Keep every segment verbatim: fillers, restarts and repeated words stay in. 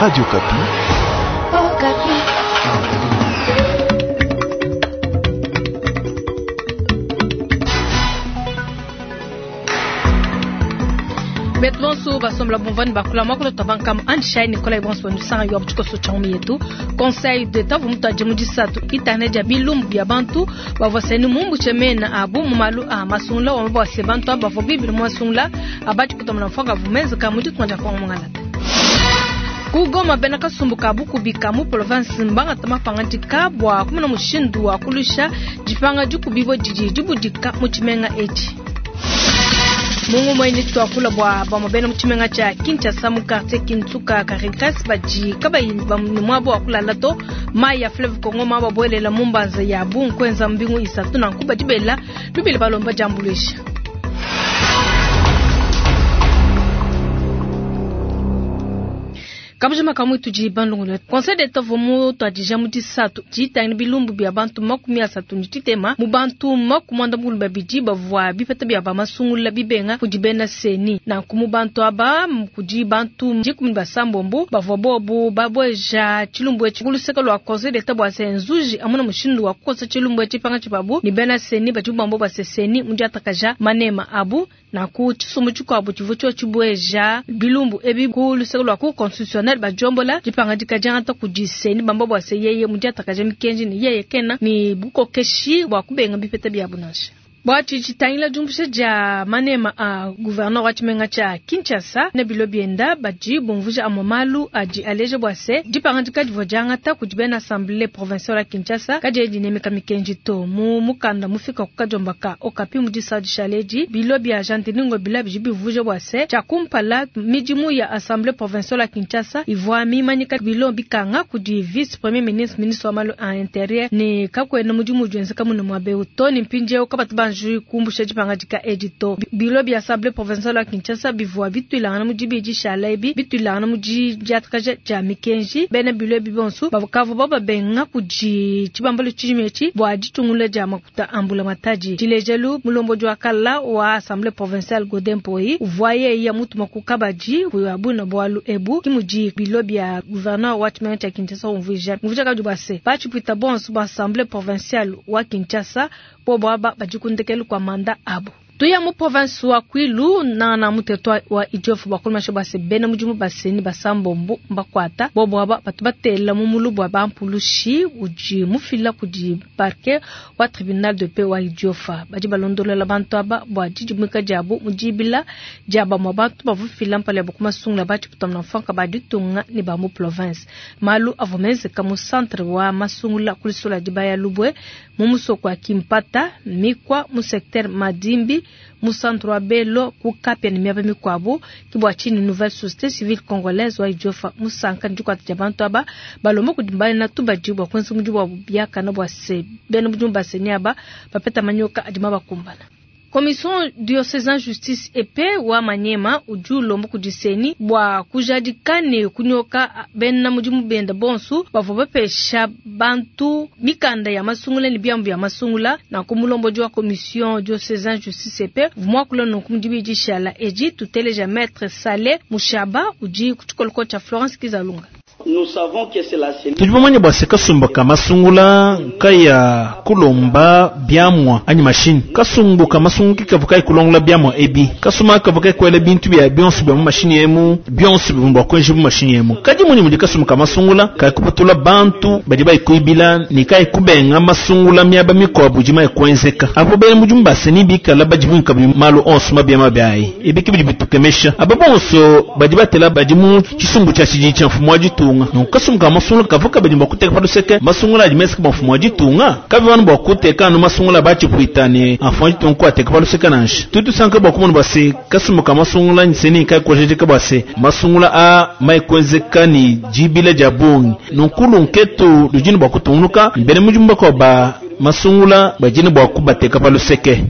Radio Okapi. Okapi. Betu bonso basombola bumvani bakula mwakula tabankam anshai Nicolas bonso ndusanga yo buchikoso changu yetu Conseil d'État vumutaje mu disatu internet ya bilumbu bya bantu bavoseni mumbu chemena abu mumalu a masungula wa mabose bantu abavo bibili masungula abati kutomana mfoka vumeza kamuti twanja kwa mungala Kugoma bena kasumbuka bukubika mu province mbanga tamapangatika bwa kumuna mushindu wa kulusha jipanga jukubibo jiji jibudika mu chimenga echi Mungu mwenye tuakula bwa bamabena muchimenga cha Kinshasa mu quartier Kinsuka Caritas baji kabayi bamwabo akulala to mai ya Fleuve Congo mabo boelela mumbanza ya bunkwenza mbingu isatu na nkuba dibela lubile balomba jambulisha Kabujima kamwe tuji bandungula Conseil d'État vomu twadija mu disatu jitangina bilumbu bya bantu makumi asatu ni titema mu bantu makumanda mukulu babidi bavwa bipeta bya bamasungula bibenga kudi bena seni na kumu bantu aba kudi bantu dikumi basambombo bavwa bobu babweja chilumbu echi kuluseka lwa Conseil d'État bwa senzuji amuna mushindu wa kukosa chilumbu echi panga chibabu ni bena seni bajubambo baseseni mundi atakaja manema abu na ku chisumbu chikwabu chivu cho chibweja bilumbu ebi kuluseka lwa ku constitutionnel bajombola jipanga jikajanga kujiseni bamba bwase yeye mujata kaje mikenji ni yeye kena ni bukokeshi bwa kubenga bipeta bya bunasha Bwachi chitangila jumbusha ja manema a gouverneur wa chimenga cha Kinshasa ne bilo bienda baji bumvuja amamalu aji aleje bwase jipanga jikadivo jangata kujibena assemblée provinciale ya Kinshasa kaje dinemeka mikenji to mu mukanda mufika kukajombaka okapi mudisa dishaleji bilo bya jantiningo bila bijibivuja bwase cha kumpala mijimu ya assemblée provinciale ya Kinshasa ivwa mimanyika bilo bikanga kudi vice premier ministre ministre wa malu a intérieur ni kakwena mujimu jwenzeka muno mwabe utoni mpinje okabatu kumbusha jipanga jika edito bilo bya assemblée provinciale ya Kinshasa bivwa bitwilana mu jibiji shalaibi bitwilana mu jatkaja ja mikenji bena bilo bibonsu bavukavo baba benga kuji chibambalo chijimechi bwa jitungula ja makuta ambula mataji chilejelu mulombo jwa kala wa assemblée provinciale Godempoi uvoye ya mutu makukabaji kuyabuna bwalu ebu kimuji bilo bya gouverneur wa chimenga cha Kinshasa umvija mvija kabuse bachipita bonsu ba assemblée provinciale wa Kinshasa bobo aba bajikundekelu kwa manda abo tuya mu province wa Kwilu na na muteto wa Idiofu bakulmasho base bena mujimu baseni basambombo mbakwata bobo aba batubatela mu mulubu bampulushi uji mufila kudi parquet wa tribunal de paix wa Idiofa baji balondolela bantu aba bwa jijimika jabo mujibila jaba mwa bantu bavufila mpale bokumasungula bachi kutamna mfanka baditunga ni ba mu province malu avomeze kamu centre wa masungula kulisula dibaya lubwe mu musoko wa Kimpata mikwa mu secteur Madimbi mu centre wa Belo kukapya ni miaba mikwabo kibwa chini nouvelle société civile congolaise wa Idiofa musanka ndikwata jabantu aba balombo kudimbana na tubaji bwa kwenza mujibu wa byaka na bwa se bena mujibu baseni aba bapeta manyoka adima bakumbana Commission diocésaine justice et paix wa Manyema uju lombo kudiseni bwa kujadikane kunyoka bena mujimu benda bonsu bavua bapesha bantu mikanda ya masungula ni byambu ya masungula na kumulombo jwa commission diocésaine justice et paix vumwakula nonku shala eji tuteleja maître Saleh Mushaba uji kuchikoloko cha Florence Kizalunga. Tudi bamanya bwa se kasumba ka masungula kaya kulomba byamwa anyi mashini kasumbu ka masungu kikavu kai kulongola byamwa ebi kasuma kavu kai kwele bintu bya byonso bya mu mashini yemu byonso bya kwenje mu mashini yemu kadi muni mudi kasumba ka masungula kai kupatula bantu badi bai kuibila ni kai kubenga masungula myaba mikwabu jima kwenzeka abo bene mujumba seni bikala bajibu kabi malu onso mabyama byayi ebi kibidi bitukemesha abo bonso badi batela badi mu chisumbu cha chiji cha mfumo wa jitunga donc kasumbu masungula kavuka badi bakuteka paduseke masungula adi meseke bafumo jitunga kavi vanu bakuteka no masungula bachipuitane afo jitunga kwateka paduseke nansha tutu sanka bakumona base kasumbu ka masungula nseni kai kojejeka base masungula a mai kwenzeka ni jibila jabungi nonkulu nketu lujini bakutungunuka mbere mujumba kwa ba masungula bajini bakubateka paluseke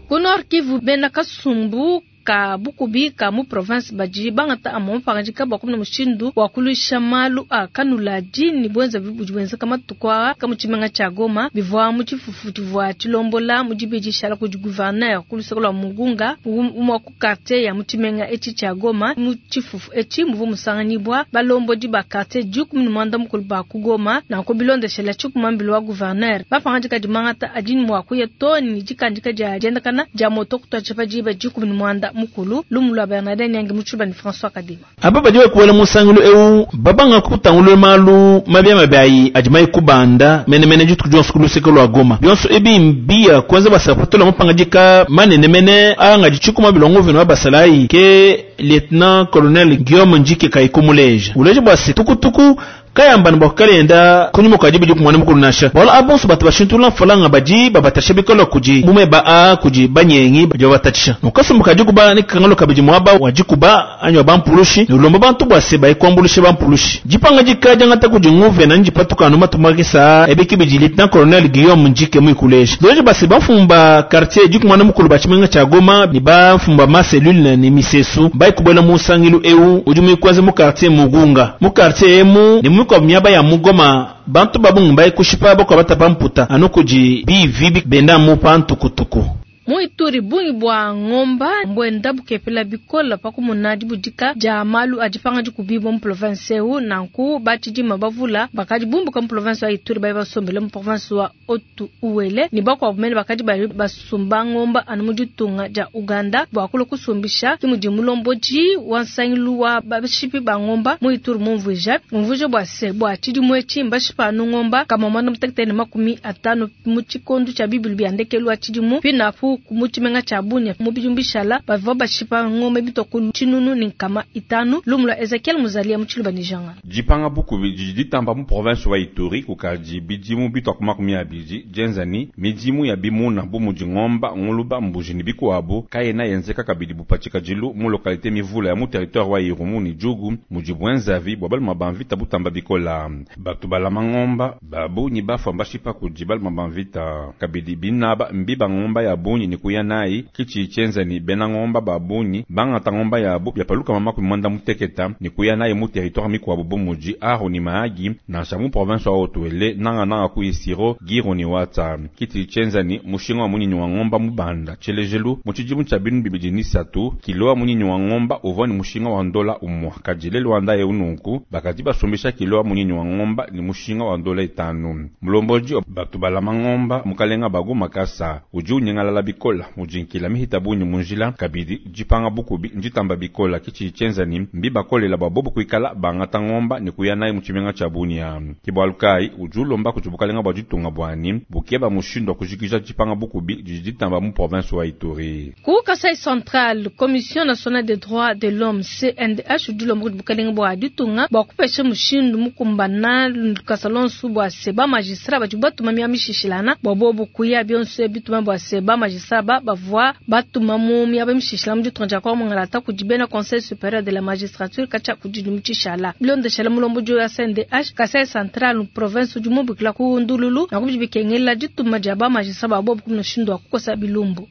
Ku Nord Kivu bena kasumbu ka bukubi ka mu province badi bangata amwe mapangadika bua kumona mushindu wa kuluisha malu a kanuladi ne buenza budi buenzeka matuku aa ka mu tshimenga tshia Goma bivua mu tshifufu tshivua tshilombola mu dibidi shala kudi gouverneur ku luseke lua Mugunga umue ku quartier ya mu tshimenga etshi tshia Goma. Mu tshifufu etshi muvua musanganyibua balombodi ba quartier dikumi ne muanda mukulu ba ku Goma nanku bilondeshela tshikumambilo wa gouverneur bapangadika dimangata adi mua kuya to ne dikandika dia diendakana dia moto kutuadija pa diba dikumi ne muanda mukulu. Lumu lua Bernardin Nyangi mu tshiluba ne François Kadima. Aba badi bakuela musangilu eu babanga kutangulula malu mabi mabi ayi adi mayi kubanda menemene dituku dionso ku luseke lua Goma. Bionso ebi mbia kwanza basapatula mapangadika manenemene anga ditshikuma bilongo vino wa basalayi ke lieutenant colonel Guillaume Ndjike kayikumuleja uleja bua se tukutuku kayamba bua kalenda kunyuma kwa dibidi kumwana mukulu nasha wala abonso batu bashintula mfalanga badi babatasha bikola kudi mumeba a kudi banyengi badi babatatshisha nokasumbuka dikuba ne kangalo kabidi mwaba wa dikuba anyi wa bampulushi ne ulomba bantu bua se bayikwambuluishe bampulushi dipanga dika diangata kudi nguvena ndipatuka anu matumakisa ebiki bidi lieutenant colonel Guillaume Ndjike muikuleja loje base bamfumba quartier dikumwana mukulu ba tshimenga tshia Goma ne bamfumba ma cellule ne misesu bayikubwela musangilu eu udi muikwaze mu quartier Mugunga mu quartier emu ne mu miaba ya mugoma bantu babungu bayikushipa bakwa batapa mputa anu kudi bivi benda mu pantukutuku. Mu Ituri bungi bua ngomba mbwenda bukepela bikola pakumuna dibudika dia malu adi panga dikubibwa mu province eu nanku batshidima bavula bakadi bumbuka mu province wa Ituri bayi basombele mu province wa Otu Uele ne bakuabu mene bakadi bayi basumba ngomba anu mu ditunga dia Uganda bua kulua kusumbisha ke mudi mulombodi wa nsangilu wa bashipi ba ngomba mu Ituri mumvuija mumvuija bua se bua tshidimu etshi mbashipa anu ngomba kama muanda mutekete ne makumi atanu mu tshikondo tshia bibilu bia ndekelu wa tshidimu pinapu mu tshimenga tshia Bunia mu bidimu bishala bavua bashipa ngombe bitwa ku tshinunu ne nkama itanu. Lumu lua Ezekiel Muzalia mu tshiluba ne janga. Dipanga bukubi didi ditamba mu province wa Ituri kukadi bidimu bitwa ku makumi abidi dienzani midimu ya bimuna bu mudi ngomba nguluba mbuji ne bikuabu kayena yenzeka kabidi bupatshikadilu mu localité mivula ya mu territoire wa Irumu ne Djugu mudi bwenzavi bua baluma ba mvita butamba bikola batu balama ngomba babunyi bafua mbashipa kudi baluma ba mvita kabidi binaba mbiba ngomba ya bunyi ne kuya nayi kichi chenzani bena ngomba babunyi bangata ngomba yabo byapaluka mama kumanda muteketa ne kuya nayi mu territoire mikwabu bu mudi Aru ni Mahagi nansha mu province wa Haut-Uele nanga nanga ku Isiro Giro ni Watsa kiti chenzani mushinga wa munyinyi wa ngomba mubanda tshelejelu mu tshidimu tshia binu bibidi ni satu kilo wa munyinyi wa ngomba uvua ni mushinga wa ndola umwa kadile Luanda ye ununku bakadi basumbisha kilo wa munyinyi wa ngomba ni mushinga wa ndola itanu mulomboji batu balama ngomba mukalenga bagu makasa udi unyengalala bikola mujinkila mihita bunyi munjila kabidi jipanga bukubi njitamba bikola kichi chenzani mbibakolela babobo kuikala bangata ngomba ni kuya nayi mu tshimenga tshia Bunia kibwalukai udi ulomba kudi bukalenga bua ditunga bwani bukeba mushindu wa kujikija jipanga bukubi didi ditamba mu province wa Ituri. Ku Kasai Central, Commission nationale des droits de l'homme C N D H udi ulomba kudi bukalenga bua ditunga bua kupesha mushindu mukumbana kasalonsu bua se ba magistrat badi batuma mia mishishilana bua bobo kuya bionso bituma bua se ba magistrat ba bavua batuma mu miaba mishishila mu ditunga dia Kongo mungalata kudi bena Conseil supérieur de la magistrature katshia kudi mutshishала bilondeshela mulombodi wa C N D H Kasai Central province udi mubikila ku ndululu na kubidi bikengela dituma dia ba magistrat ba bobo kumuna mushindu wa kukosa bilumbu.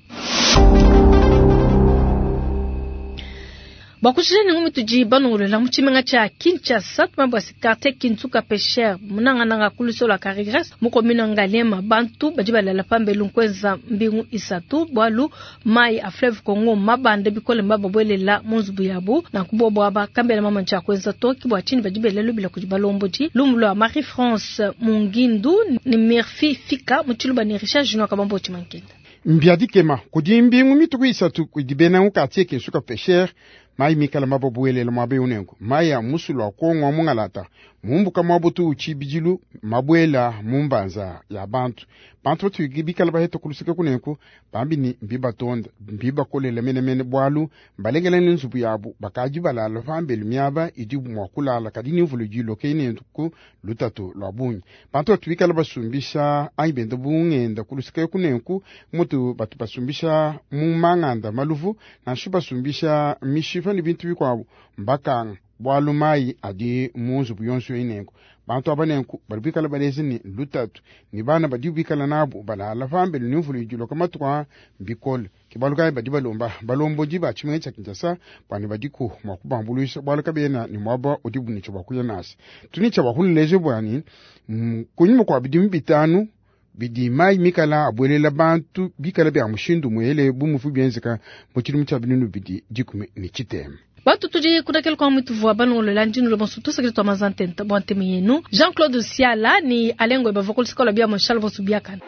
Bakushije ngumi tudi banongolela mu tshimenga tshia Kinshasa tuma bua se quartier Kinsuka Pêcheur munangananga kuluso la Carigres mu commune Ngaliema bantu badi balala pambelu nkweza mbingu isatu bwalu mai a fleuve Congo mabande bikole mbababwelela mu nzubu yabu na kubobo aba kambela mama ntsha kwenza toki bua tshini badi belelu bila kudi balombodi lumu lwa Marie France Mungindu ni Murphy Fika mu tshiluba ni Richard Junior Kabambo Tshimankenda. Mbiadikema kudi mbingu mituku isatu kudi bena mu quartier Kinsuka Pêcheur mai mikala mababuelele mwabe unengo mai ya musulu wa Kongo mungalata mumbuka mwabutu uchibijilu mabwela mumbanza ya bantu bantu batu bikala baheta kulusika kunenku bambi ni mbibatonda mbibakolela menemene bwalu mbalengela ni nzubu yabu bakaji balala pambelu miaba idi mwa kulala kadi ni mvulu jiloke inenku lutatu lwa bungi bantu batu bikala basumbisha anyi benda bungenda kulusika kunenku mutu batu basumbisha mu manganda maluvu nanshu basumbisha mishipa ni bintu bikwabu mbakanga Bwalu mayi adi mu nzubu yonso eyi nenku. Bantu aba nenku badi bikala balezi ne lutatu ne bana badi bikala nabu balala pambelu ne mvula idiloka matuku a bikole. Ke bualu kayi badi balomba balombodi ba tshimenga tshia Kinshasa bua ne badiku mua kubambuluisha bualu kabena ne muaba udibu ne tshia bua kuya nansha. Tudi ne tshia bua kunuleja bua ne, mm, kunyima kua bidimu bitanu bidi mayi mikala abuelela bantu bikala bia mushindu muele bu muvu bienzeka mu tshidimu tshia binunu bibidi dikumi ne tshitema. Bantu tudi kudakela kwa mwitu vua balongolola ndinu bonso tusakile twa mazantenta bua nteme yenu Jean-Claude Siala ni Alengo bavua kulusikola bia Charles Bonso biakana.